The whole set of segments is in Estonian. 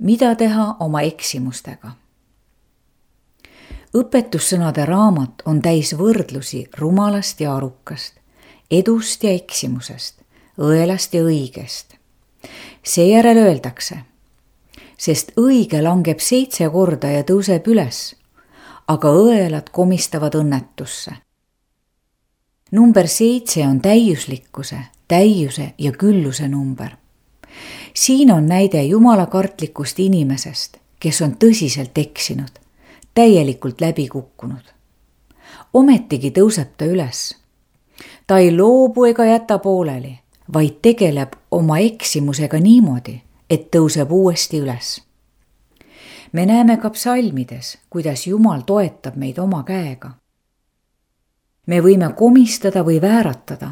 mida teha oma eksimustega? Õpetussõnade raamat on täis võrdlusi rumalast ja arukast, edust ja eksimusest, õelast ja õigest. Seejärel öeldakse, sest õige langeb 7 korda ja tõuseb üles, aga õelad komistavad õnnetusse. Number 7 on täiuslikkuse, täiuse ja külluse number. Siin on näide jumalakartlikust inimesest, kes on tõsiselt eksinud, täielikult läbi kukkunud. Ometigi tõuseb ta üles. Ta ei loobu ega jäta pooleli, vaid tegeleb oma eksimusega niimoodi, et tõuseb uuesti üles. Me näeme ka psalmides, kuidas Jumal toetab meid oma käega. Me võime komistada või vääratada,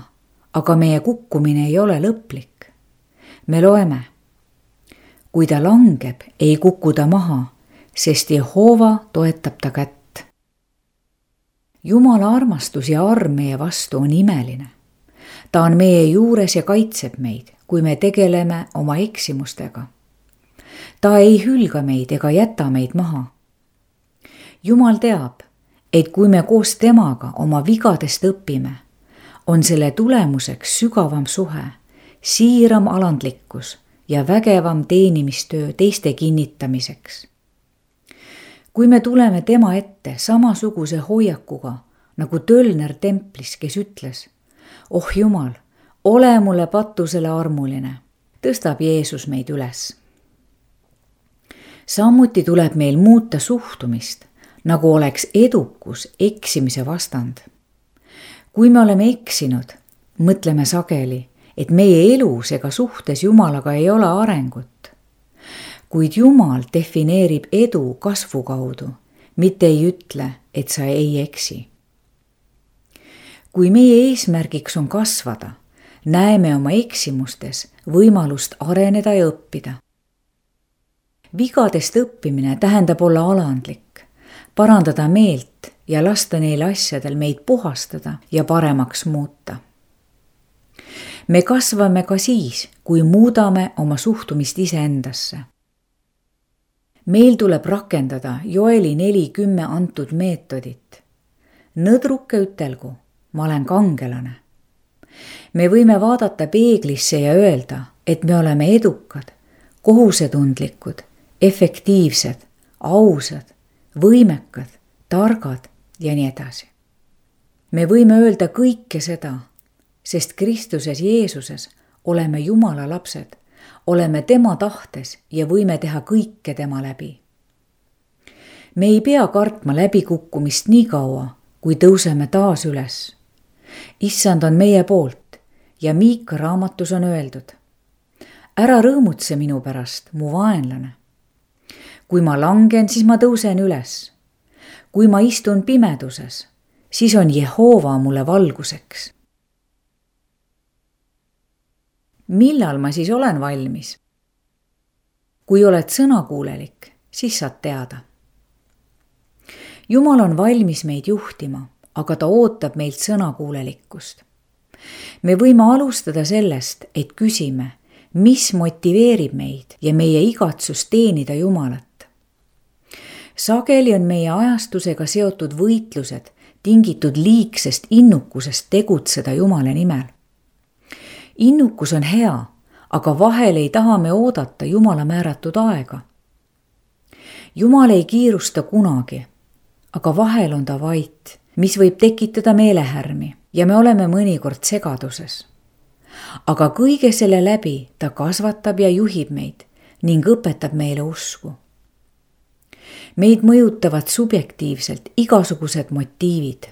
aga meie kukkumine ei ole lõplik. Me loeme, kui ta langeb, ei kuku ta maha, sest Jehova toetab ta kätt. Jumala armastus ja arm meie vastu on imeline. Ta on meie juures ja kaitseb meid, kui me tegeleme oma eksimustega. Ta ei hülga meid ega jäta meid maha. Jumal teab, et kui me koos temaga oma vigadest õpime, on selle tulemuseks sügavam suhe, siiram alandlikkus ja vägevam teenimistöö teiste kinnitamiseks. Kui me tuleme tema ette samasuguse hoiakuga, nagu tölner templis, kes ütles, oh Jumal, ole mulle patusele armuline, tõstab Jeesus meid üles. Samuti tuleb meil muuta suhtumist, nagu oleks edukus eksimise vastand. Kui me oleme eksinud, mõtleme sageli, et meie elus ega suhtes Jumalaga ei ole arengut. Kuid Jumal defineerib edu kasvu kaudu, mitte ei ütle, et sa ei eksi. Kui meie eesmärgiks on kasvada, näeme oma eksimustes võimalust areneda ja õppida. Vigadest õppimine tähendab olla alandlik, parandada meelt ja lasta neil asjadel meid puhastada ja paremaks muuta. Me kasvame ka siis, kui muudame oma suhtumist iseendasse. Meil tuleb rakendada Joeli 4:10 antud meetodit. Nõdruke ütelgu, ma olen kangelane. Me võime vaadata peeglisse ja öelda, et me oleme edukad, kohusetundlikud, efektiivsed, ausad, võimekad, targad ja nii edasi. Me võime öelda kõike seda, sest Kristuses Jeesuses oleme Jumala lapsed, oleme tema tahtes ja võime teha kõike tema läbi. Me ei pea kartma läbikukkumist nii kaua, kui tõuseme taas üles. Issand on meie poolt ja Miika raamatus on öeldud, ära rõõmutse minu pärast, mu vaenlane. Kui ma langen, siis ma tõusen üles. Kui ma istun pimeduses, siis on Jehova mulle valguseks. Millal ma siis olen valmis? Kui oled sõnakuulelik, siis saad teada. Jumal on valmis meid juhtima, aga ta ootab meilt sõnakuulelikkust. Me võime alustada sellest, et küsime, mis motiveerib meid ja meie igatsust teenida Jumalat. Sageli on meie ajastusega seotud võitlused tingitud liigsest innukusest tegutseda Jumala nimel. Innukus on hea, aga vahel ei taha me oodata Jumala määratud aega. Jumal ei kiirusta kunagi, aga vahel on ta vait, mis võib tekitada meelehärmi ja me oleme mõnikord segaduses. Aga kõige selle läbi ta kasvatab ja juhib meid ning õpetab meile usku. Meid mõjutavad subjektiivselt igasugused motiivid.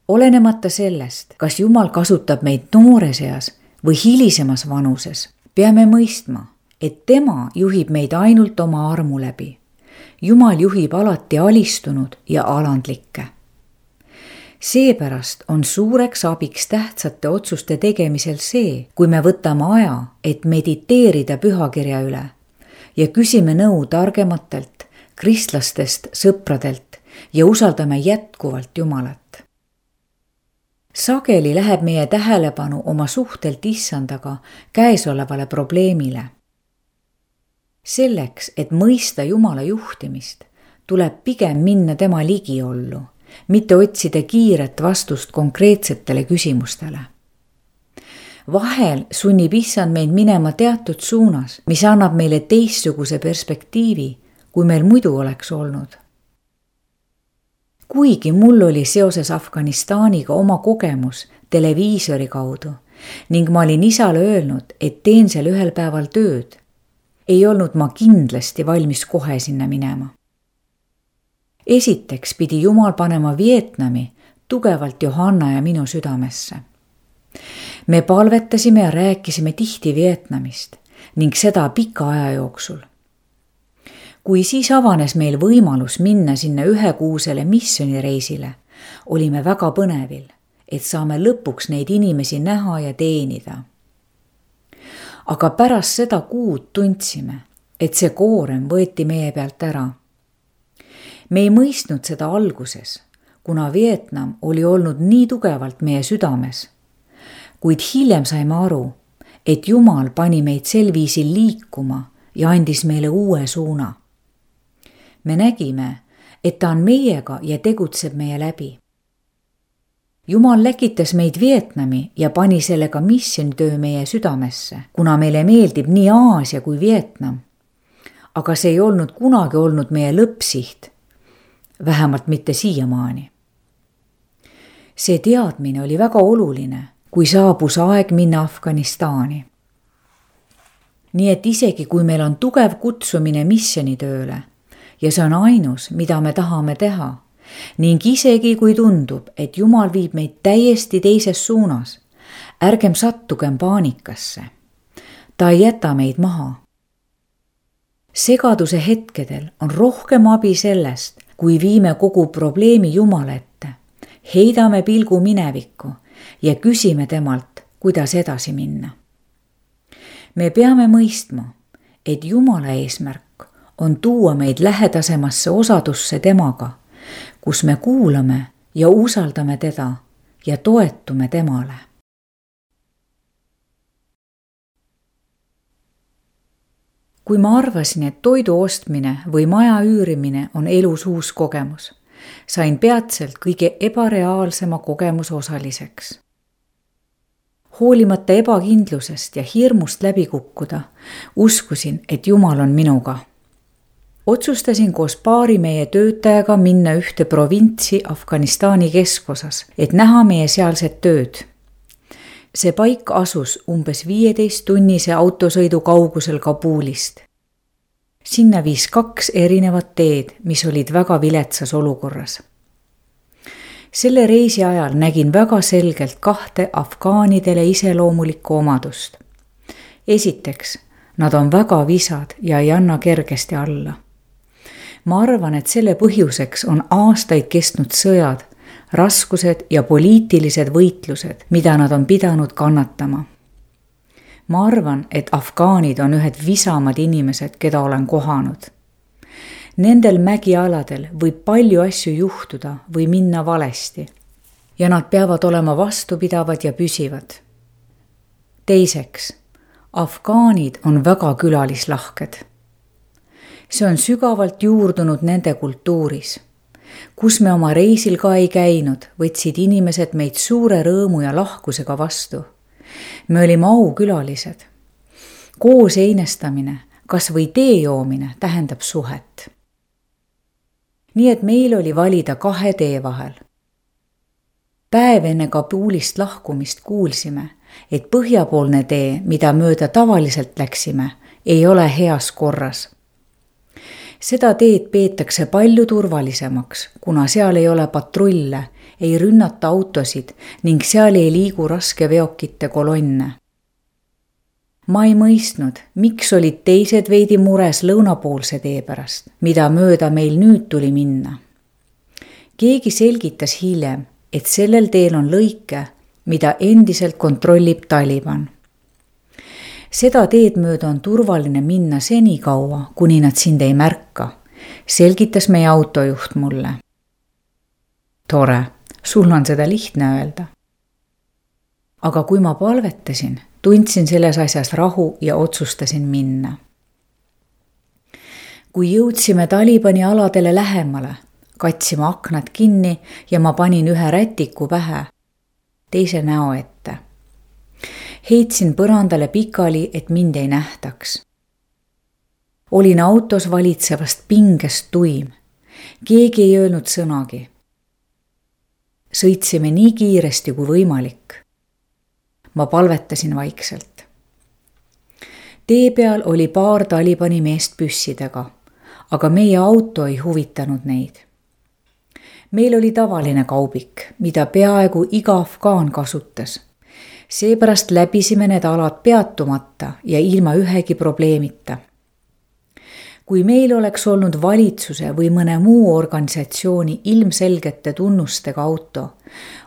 Olenemata sellest, kas Jumal kasutab meid noores eas või hilisemas vanuses, peame mõistma, et tema juhib meid ainult oma armu läbi. Jumal juhib alati alistunud ja alandlikke. Seepärast on suureks abiks tähtsate otsuste tegemisel see, kui me võtame aja, et mediteerida pühakirja üle ja küsime nõu targematelt, kristlastest, sõpradelt ja usaldame jätkuvalt Jumalat. Sageli läheb meie tähelepanu oma suhtelt Issandaga käesolevale probleemile. Selleks, et mõista Jumala juhtimist, tuleb pigem minna tema ligiollu, mitte otsida kiiret vastust konkreetsetele küsimustele. Vahel sunnib Issand meid minema teatud suunas, mis annab meile teistsuguse perspektiivi, kui meil muidu oleks olnud. Kuigi mul oli seoses Afganistaniga oma kogemus televiisori kaudu ning ma olin isale öelnud, et teen seal ühel päeval tööd, ei olnud ma kindlasti valmis kohe sinna minema. Esiteks pidi Jumal panema Vietnami tugevalt Johanna ja minu südamesse. Me palvetasime ja rääkisime tihti Vietnamist ning seda pika aja jooksul. Kui siis avanes meil võimalus minna sinna ühekuusele missioonireisile, olime väga põnevil, et saame lõpuks neid inimesi näha ja teenida. Aga pärast seda kuud tundsime, et see koorem võeti meie pealt ära. Me ei mõistnud seda alguses, kuna Vietnam oli olnud nii tugevalt meie südames, kuid hiljem saime aru, et Jumal pani meid sel viisil liikuma ja andis meile uue suuna. Me nägime, et ta on meiega ja tegutseb meie läbi. Jumal läkitas meid Vietnami ja pani sellega missioonitöö meie südamesse, kuna meile meeldib nii Aasia kui Vietnam. Aga see ei olnud kunagi olnud meie lõppsiht, vähemalt mitte siiamaani. See teadmine oli väga oluline, kui saabus aeg minna Afganistani. Nii et isegi kui meil on tugev kutsumine missioonitööle ja see on ainus, mida me tahame teha, ning isegi kui tundub, et Jumal viib meid täiesti teises suunas, ärgem sattugem paanikasse. Ta ei jäta meid maha. Segaduse hetkedel on rohkem abi sellest, kui viime kogu probleemi Jumala ette, heidame pilgu minevikku ja küsime temalt, kuidas edasi minna. Me peame mõistma, et Jumala eesmärk on tuua meid lähedasemasse osadusse temaga, kus me kuulame ja usaldame teda ja toetume temale. Kui ma arvasin, et toidu ostmine või maja üürimine on elus uus kogemus, sain peatselt kõige ebareaalsema kogemuse osaliseks. Hoolimata ebakindlusest ja hirmust läbi kukkuda, uskusin, et Jumal on minuga. Otsustasin koos paari meie töötajaga minna ühte provintsi Afganistani keskosas, et näha meie sealset tööd. See paik asus umbes 15-tunnise autosõidu kaugusel Kabulist. Sinna viis 2 erinevat teed, mis olid väga viletsas olukorras. Selle reisi ajal nägin väga selgelt 2 afgaanidele iseloomulikku omadust. Esiteks, nad on väga visad ja ei anna kergesti alla. Ma arvan, et selle põhjuseks on aastaid kestnud sõjad, raskused ja poliitilised võitlused, mida nad on pidanud kannatama. Ma arvan, et afgaanid on ühed visamad inimesed, keda olen kohanud. Nendel mägialadel võib palju asju juhtuda või minna valesti ja nad peavad olema vastupidavad ja püsivad. Teiseks, afgaanid on väga külalislahked. See on sügavalt juurdunud nende kultuuris. Kus me oma reisil ka ei käinud, võtsid inimesed meid suure rõõmu ja lahkusega vastu. Me olime aukülalised. Koos einestamine, kas või tee joomine tähendab suhet. Nii et meil oli valida 2 tee vahel. Päev enne Kabulist lahkumist kuulsime, et põhjapoolne tee, mida mööda tavaliselt läksime, ei ole heas korras. Seda teed peetakse palju turvalisemaks, kuna seal ei ole patrulle, ei rünnata autosid ning seal ei liigu raskeveokite kolonne. Ma ei mõistnud, miks olid teised veidi mures lõunapoolse tee pärast, mida mööda meil nüüd tuli minna. Keegi selgitas hiljem, et sellel teel on lõike, mida endiselt kontrollib Taliban. Seda teed mööda on turvaline minna senikaua, kuni nad sind ei märka, selgitas meie autojuht mulle. Tore, sul on seda lihtne öelda. Aga kui ma palvetasin, tundsin selles asjas rahu ja otsustasin minna. kui jõudsime Talibani aladele lähemale, katsime aknad kinni ja ma panin ühe rätiku pähe, teise näo ette. Heitsin põrandale pikali, et mind ei nähtaks. Olin autos valitsevast pingest tuim. Keegi ei öelnud sõnagi. Sõitsime nii kiiresti kui võimalik. Ma palvetasin vaikselt. Tee peal oli paar Talibani meest püssidega, aga meie auto ei huvitanud neid. Meil oli tavaline kaubik, mida peaaegu iga afgaan kasutas. Seepärast läbisime need alad peatumata ja ilma ühegi probleemita. Kui meil oleks olnud valitsuse või mõne muu organisatsiooni ilmselgete tunnustega auto,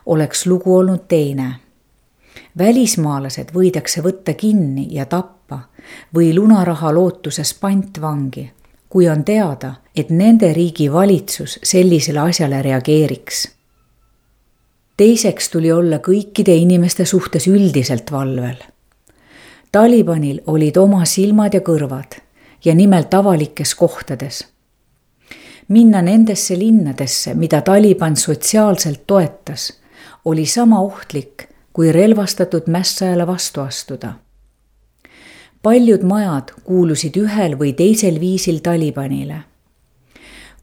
oleks lugu olnud teine. Välismaalased võidakse võtta kinni ja tappa või lunaraha lootuses pantvangi, kui on teada, et nende riigi valitsus sellisele asjale reageeriks. Teiseks tuli olla kõikide inimeste suhtes üldiselt valvel. Talibanil olid oma silmad ja kõrvad ja nimelt avalikes kohtades. Minna nendesse linnadesse, mida Taliban sotsiaalselt toetas, oli sama ohtlik, kui relvastatud mässajale vastu astuda. Paljud majad kuulusid ühel või teisel viisil Talibanile.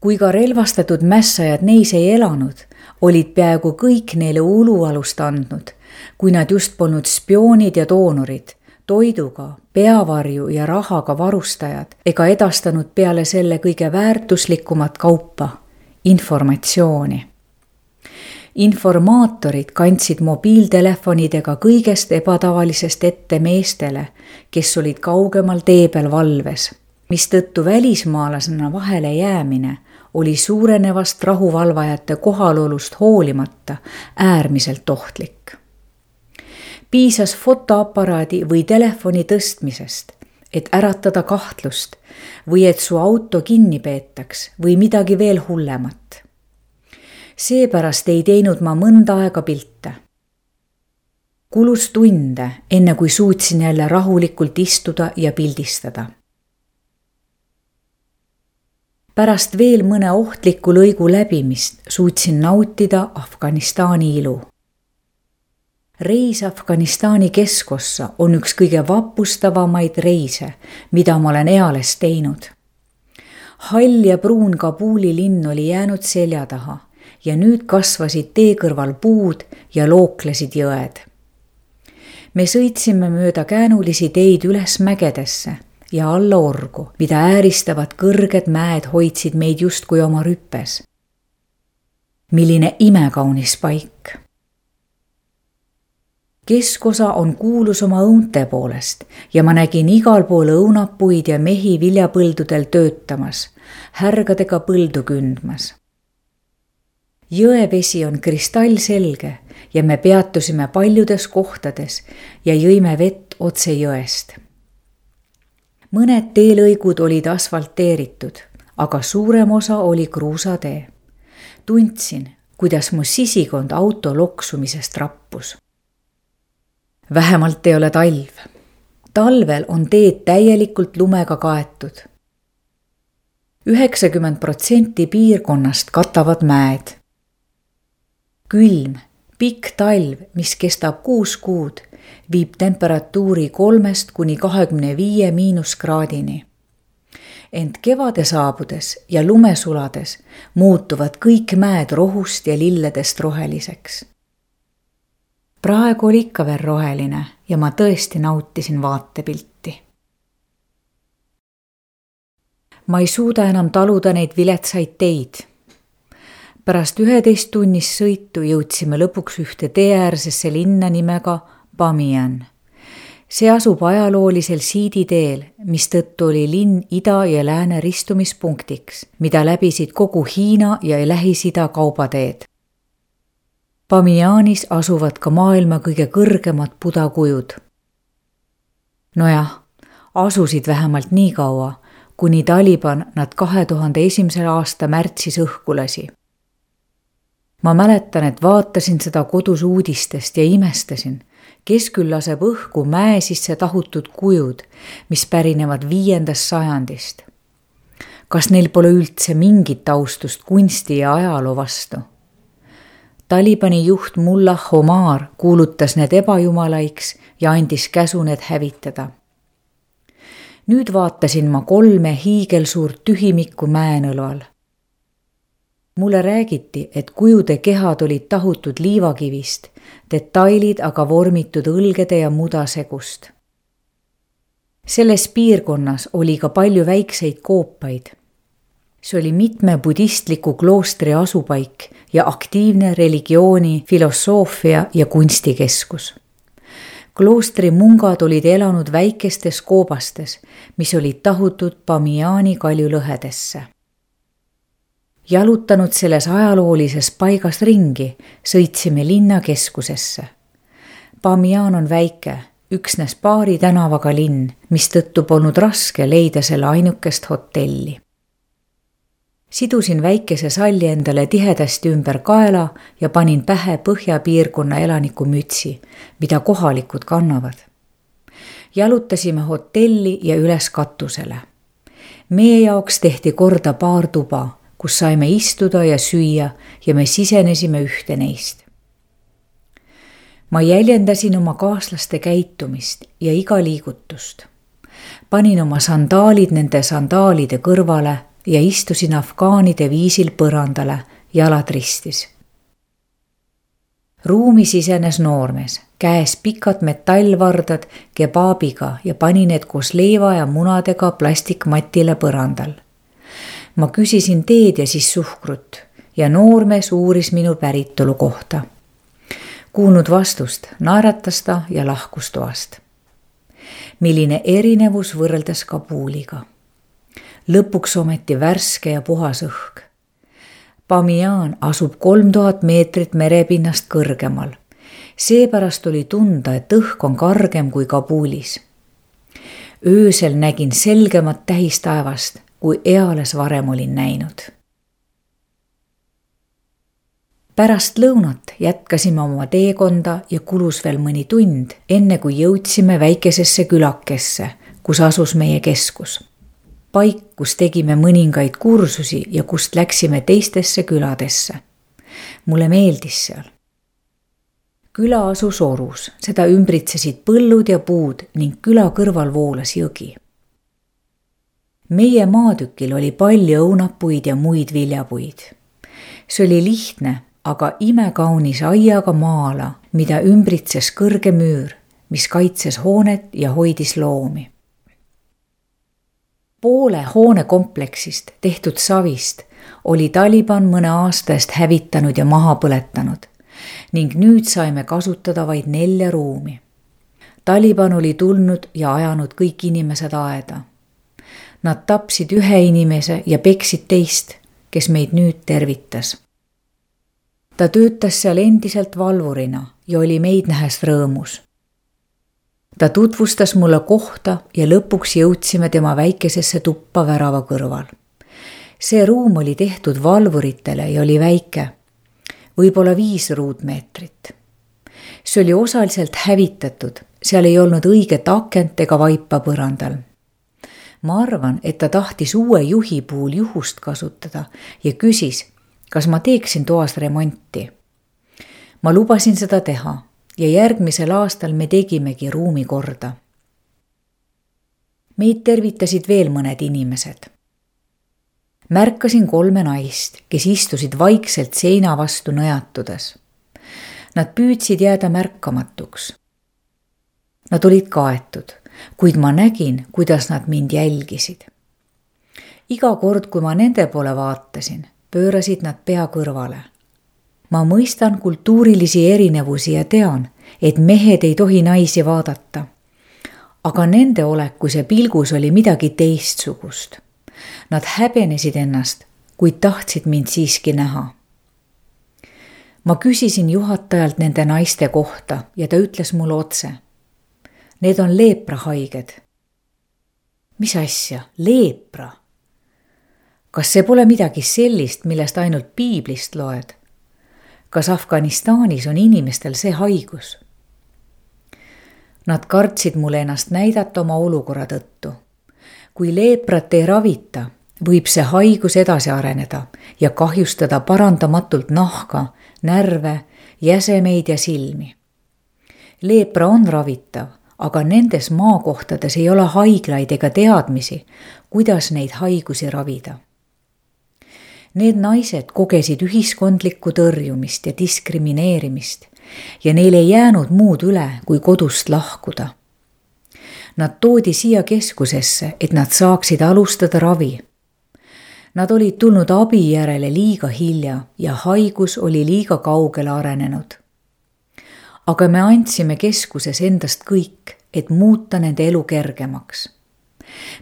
Kui ka relvastatud mässajad neis ei elanud, olid peaaegu kõik neile ulualust andnud, kui nad just polnud spioonid ja doonorid, toiduga, peavarju ja rahaga varustajad ega edastanud peale selle kõige väärtuslikumat kaupa, informatsiooni. Informaatorid kandsid mobiiltelefonidega kõigest ebatavalisest ette meestele, kes olid kaugemal tee peal valves, mistõttu välismaalasena vahele jäämine oli suurenevast rahuvalvajate kohalolust hoolimata äärmiselt ohtlik. Piisas fotoaparaadi või telefoni tõstmisest, et äratada kahtlust või et su auto kinni peetaks või midagi veel hullemat. Seepärast ei teinud ma mõnda aega pilte. Kulus tunde, enne kui suutsin jälle rahulikult istuda ja pildistada. Pärast veel mõne ohtliku lõigu läbimist suutsin nautida Afganistani ilu. Reis Afganistani keskossa on üks kõige vapustavamaid reise, mida ma olen eales teinud. Hall ja pruun Kabuli linn oli jäänud selja taha ja nüüd kasvasid tee kõrval puud ja looklesid jõed. Me sõitsime mööda käänulisi teid üles mägedesse ja alla orgu, mida ääristavad kõrged mäed hoidsid meid justkui oma rüppes. Milline imekaunis paik! Keskosa on kuulus oma õunte poolest ja ma nägin igal pool õunapuid ja mehi viljapõldudel töötamas, härgadega põldu kündmas. Jõevesi on kristallselge ja me peatusime paljudes kohtades ja jõime vett otse jõest. Mõned teelõigud olid asfalteeritud, aga suurem osa oli kruusatee. Tundsin, kuidas mu sisikond auto loksumisest rappus. Vähemalt ei ole talv. Talvel on teed täielikult lumega kaetud. 90% piirkonnast katavad mäed. Külm, pikk talv, mis kestab 6 kuud, viib temperatuuri 3–25 miinuskraadini. Ent kevade saabudes ja lume sulades muutuvad kõik mäed rohust ja lilledest roheliseks. Praegu oli ikka veel roheline ja ma tõesti nautisin vaatepilti. Ma ei suuda enam taluda neid viletsaid teid. Pärast 11 tunnist sõitu jõudsime lõpuks ühte teeäärsesse linna nimega Bamiyan. See asub ajaloolisel siiditeel, mistõttu oli linn ida ja lääne ristumispunktiks, mida läbisid kogu Hiina ja Lähis-Ida kaubateed. Bamiyanis asuvad ka maailma kõige kõrgemad budakujud. Nojah, asusid vähemalt nii kaua, kuni Taliban nad 2001. aasta märtsis õhku lasi. Ma mäletan, et vaatasin seda kodus uudistest ja imestasin, kes küll laseb õhku mäe sisse tahutud kujud, mis pärinevad 5. sajandist. kas neil pole üldse mingit austust kunsti ja ajaloo vastu? Talibani juht Mullah Omar kuulutas need ebajumalaiksi ja andis käsu need hävitada. Nüüd vaatasin ma 3 hiigelsuurt tühimikku mäenõlval. Mulle räägiti, et kujude kehad olid tahutud liivakivist, detailid aga vormitud õlgede ja mudasegust. Selles piirkonnas oli ka palju väikseid koopaid. See oli mitme budistliku kloostri asupaik ja aktiivne religiooni, filosoofia ja kunstikeskus. Kloostri mungad olid elanud väikestes koobastes, mis olid tahutud Bamiani kaljulõhedesse. Jalutanud selles ajaloolises paigas ringi, sõitsime linna keskusesse. Bamian on väike, üksnes paari tänavaga linn, mistõttu polnud raske leida selle ainukest hotelli. Sidusin väikese salli endale tihedasti ümber kaela ja panin pähe põhjapiirkonna elaniku mütsi, mida kohalikud kannavad. Jalutasime hotelli ja üles katusele. Meie jaoks tehti korda paar tuba, kus saime istuda ja süüa ja me sisenesime ühte neist. Ma jäljendasin oma kaaslaste käitumist ja iga liigutust. Panin oma sandaalid nende sandaalide kõrvale ja istusin afgaanide viisil põrandale, jalad ristis. Ruumi sisenes noormees, käes pikad metallvardad kebaabiga ja pani need koos leiva ja munadega plastikmatile põrandal. Ma küsisin teed ja siis suhkrut ja noormees uuris minu päritolu kohta. Kuulnud vastust, naeratas ta ja lahkus toast. Milline erinevus võrreldes Kabuliga. Lõpuks ometi värske ja puhas õhk. Bamian asub 3000 meetrit merepinnast kõrgemal. Seepärast oli tunda, et õhk on kargem kui Kabulis. Öösel nägin selgemat tähistaevast, kui eales varem olin näinud. Pärast lõunat jätkasime oma teekonda ja kulus veel mõni tund, enne kui jõudsime väikesesse külakesse, kus asus meie keskus. Paik, kus tegime mõningaid kursusi ja kust läksime teistesse küladesse. Mulle meeldis seal. Küla asus orus, seda ümbritsesid põllud ja puud ning küla kõrval voolas jõgi. Meie maatükil oli palju õunapuid ja muid viljapuid. See oli lihtne, aga imekaunis aiaga maala, mida ümbritses kõrge müür, mis kaitses hoonet ja hoidis loomi. Poole hoonekompleksist tehtud savist oli Taliban mõne aasta eest hävitanud ja maha põletanud ning nüüd saime kasutada vaid 4 ruumi. Taliban oli tulnud ja ajanud kõik inimesed aeda. Nad tapsid 1 inimese ja peksid teist, kes meid nüüd tervitas. Ta töötas seal endiselt valvurina ja oli meid nähes rõõmus. Ta tutvustas mulle kohta ja lõpuks jõudsime tema väikesesse tuppa värava kõrval. See ruum oli tehtud valvuritele ja oli väike, võib-olla 5 ruutmeetrit. See oli osaliselt hävitatud, seal ei olnud õiget akent ega vaipa põrandal. Ma arvan, et ta tahtis uue juhi puhul juhust kasutada ja küsis, kas ma teeksin toas remonti. Ma lubasin seda teha ja järgmisel aastal me tegimegi ruumi korda. Meid tervitasid veel mõned inimesed. Märkasin 3 naist, kes istusid vaikselt seina vastu nõjatudes. Nad püüdsid jääda märkamatuks. Nad olid kaetud, kuid ma nägin, kuidas nad mind jälgisid. Iga kord, kui ma nende poole vaatasin, pöörasid nad pea kõrvale. Ma mõistan kultuurilisi erinevusi ja tean, et mehed ei tohi naisi vaadata. Aga nende olekus ja pilgus oli midagi teistsugust. Nad häbenesid ennast, kuid tahtsid mind siiski näha. Ma küsisin juhatajalt nende naiste kohta ja ta ütles mulle otse. Need on leeprahaiged. Mis asja? Leepra? Kas see pole midagi sellist, millest ainult piiblist loed? Kas Afganistanis on inimestel see haigus? Nad kartsid mulle ennast näidata oma olukorra tõttu. Kui leeprat ei ravita, võib see haigus edasi areneda ja kahjustada parandamatult nahka, närve, jäsemeid ja silmi. Leepra on ravitav, aga nendes maakohtades ei ole haiglaid ega teadmisi, kuidas neid haigusi ravida. Need naised kogesid ühiskondlikku tõrjumist ja diskrimineerimist ja neil ei jäänud muud üle, kui kodust lahkuda. Nad toodi siia keskusesse, et nad saaksid alustada ravi. Nad olid tulnud abi järele liiga hilja ja haigus oli liiga kaugele arenenud. Aga me andsime keskuses endast kõik, et muuta nende elu kergemaks.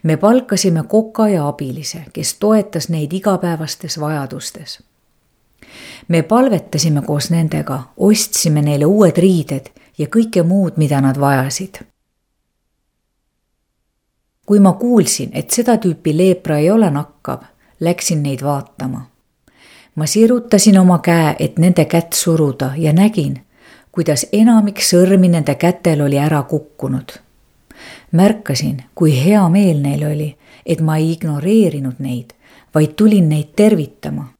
Me palkasime koka ja abilise, kes toetas neid igapäevastes vajadustes. Me palvetasime koos nendega, ostsime neile uued riided ja kõike muud, mida nad vajasid. Kui ma kuulsin, et seda tüüpi leepra ei ole nakkav, läksin neid vaatama. Ma sirutasin oma käe, et nende kätt suruda ja nägin, kuidas enamik sõrmi nende kätel oli ära kukkunud. Märkasin, kui hea meel neil oli, et ma ei ignoreerinud neid, vaid tulin neid tervitama.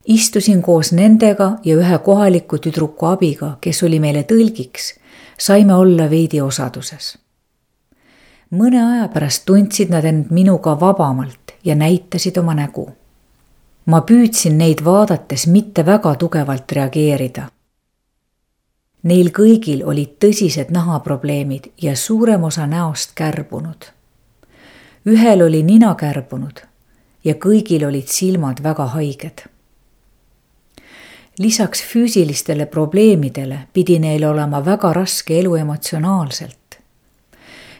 Istusin koos nendega ja ühe kohaliku tüdruku abiga, kes oli meile tõlgiks, saime olla veidi osaduses. Mõne aja pärast tundsid nad end minuga vabamalt ja näitasid oma nägu. Ma püüdsin neid vaadates mitte väga tugevalt reageerida. Neil kõigil olid tõsised nahaprobleemid ja suurem osa näost kärbunud. Ühel oli nina kärbunud ja kõigil olid silmad väga haiged. Lisaks füüsilistele probleemidele pidi neil olema väga raske elu emotsionaalselt.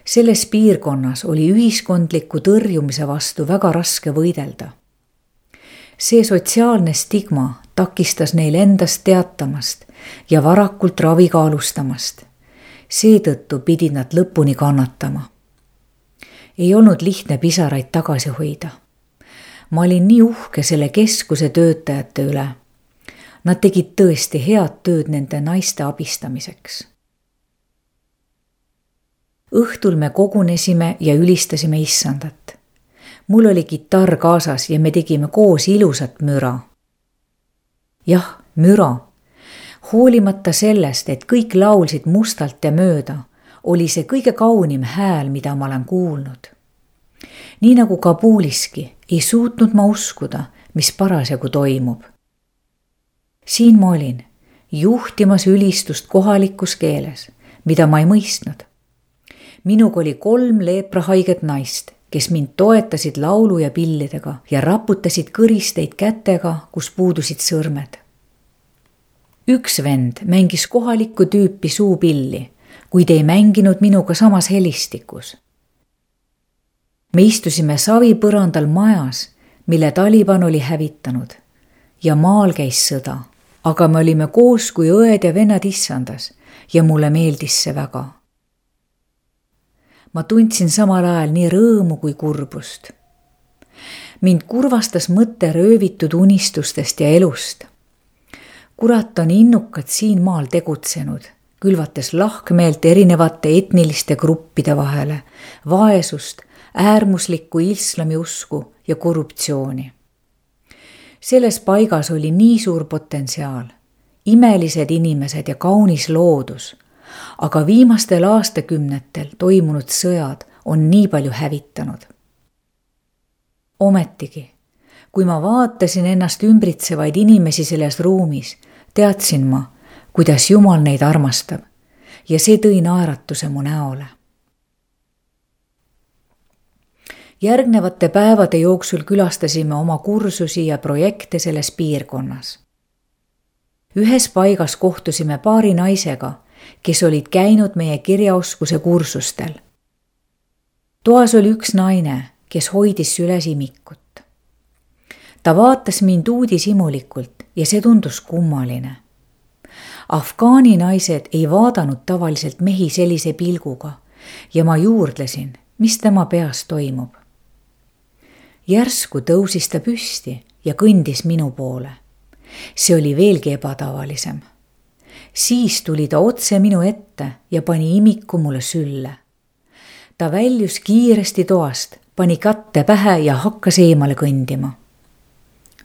Selles piirkonnas oli ühiskondliku tõrjumise vastu väga raske võidelda. See sotsiaalne stigma takistas neil endast teatamast ja varakult raviga alustamast. Seetõttu pidid nad lõpuni kannatama. Ei olnud lihtne pisaraid tagasi hoida. Ma olin nii uhke selle keskuse töötajate üle. Nad tegid tõesti head tööd nende naiste abistamiseks. Õhtul me kogunesime ja ülistasime issandat. Mul oli kitarr kaasas ja me tegime koos ilusat müra. Jah, müra. Hoolimata sellest, et kõik laulsid mustalt ja mööda, oli see kõige kaunim hääl, mida ma olen kuulnud. Nii nagu Kabuliski, ei suutnud ma uskuda, mis parasjagu toimub. Siin ma olin, juhtimas ülistust kohalikus keeles, mida ma ei mõistnud. Minuga oli 3 leeprahaiget naist, kes mind toetasid laulu ja pillidega ja raputasid kõristeid kätega, kus puudusid sõrmed. Üks vend mängis kohalikku tüüpi suupilli, kuid ei mänginud minuga samas helistikus. Me istusime savipõrandal majas, mille Taliban oli hävitanud ja maal käis sõda, aga me olime koos kui õed ja vennad issandas ja mulle meeldis see väga. Ma tundsin samal ajal nii rõõmu kui kurbust. Mind kurvastas mõte röövitud unistustest ja elust. Kurat on innukad siin maal tegutsenud, külvates lahkmeelt erinevate etniliste gruppide vahele, vaesust, äärmuslikku islamiusku ja korruptsiooni. Selles paigas oli nii suur potentsiaal, imelised inimesed ja kaunis loodus, aga viimastel aastakümnetel toimunud sõjad on nii palju hävitanud. Ometigi, kui ma vaatasin ennast ümbritsevaid inimesi selles ruumis, teadsin ma, kuidas Jumal neid armastab ja see tõi naeratuse mu näole. Järgnevate päevade jooksul külastasime oma kursusi ja projekte selles piirkonnas. Ühes paigas kohtusime paari naisega, kes olid käinud meie kirjaoskuse kursustel. Toas oli üks naine, kes hoidis süles imikut. Ta vaatas mind uudishimulikult ja see tundus kummaline. Afgaani naised ei vaadanud tavaliselt mehi sellise pilguga ja ma juurdlesin, mis tema peas toimub. Järsku tõusis ta püsti ja kõndis minu poole. See oli veelgi ebatavalisem. Siis tuli ta otse minu ette ja pani imiku mulle sülle. Ta väljus kiiresti toast, pani kätte pähe ja hakkas eemale kõndima.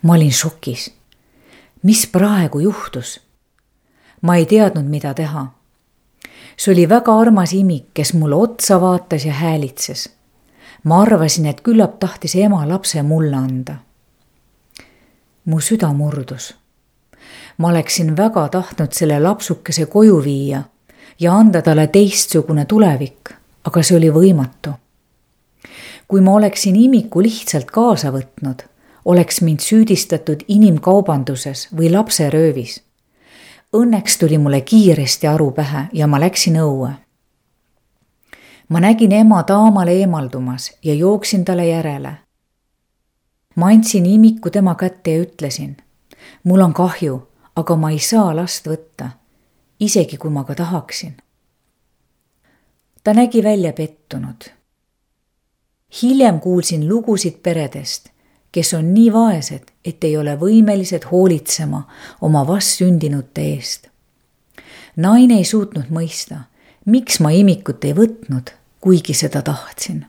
Ma olin šokis. Mis praegu juhtus? Ma ei teadnud, mida teha. See oli väga armas imik, kes mulle otsa vaatas ja häälitses. Ma arvasin, et küllap tahtis ema lapse mulle anda. Mu süda murdus. Ma oleksin väga tahtnud selle lapsukese koju viia ja anda talle teistsugune tulevik, aga see oli võimatu. Kui ma oleksin imiku lihtsalt kaasa võtnud, oleks mind süüdistatud inimkaubanduses või lapseröövis. Õnneks tuli mulle kiiresti aru pähe ja ma läksin õue. Ma nägin ema taamale eemaldumas ja jooksin talle järele. Ma andsin imiku tema kätte ja ütlesin, mul on kahju, aga ma ei saa last võtta, isegi kui ma ka tahaksin. Ta nägi välja pettunud. Hiljem kuulsin lugusid peredest, kes on nii vaesed, et ei ole võimelised hoolitsema oma vastsündinute eest. Naine ei suutnud mõista, miks ma imikut ei võtnud, kuigi seda tahtsin.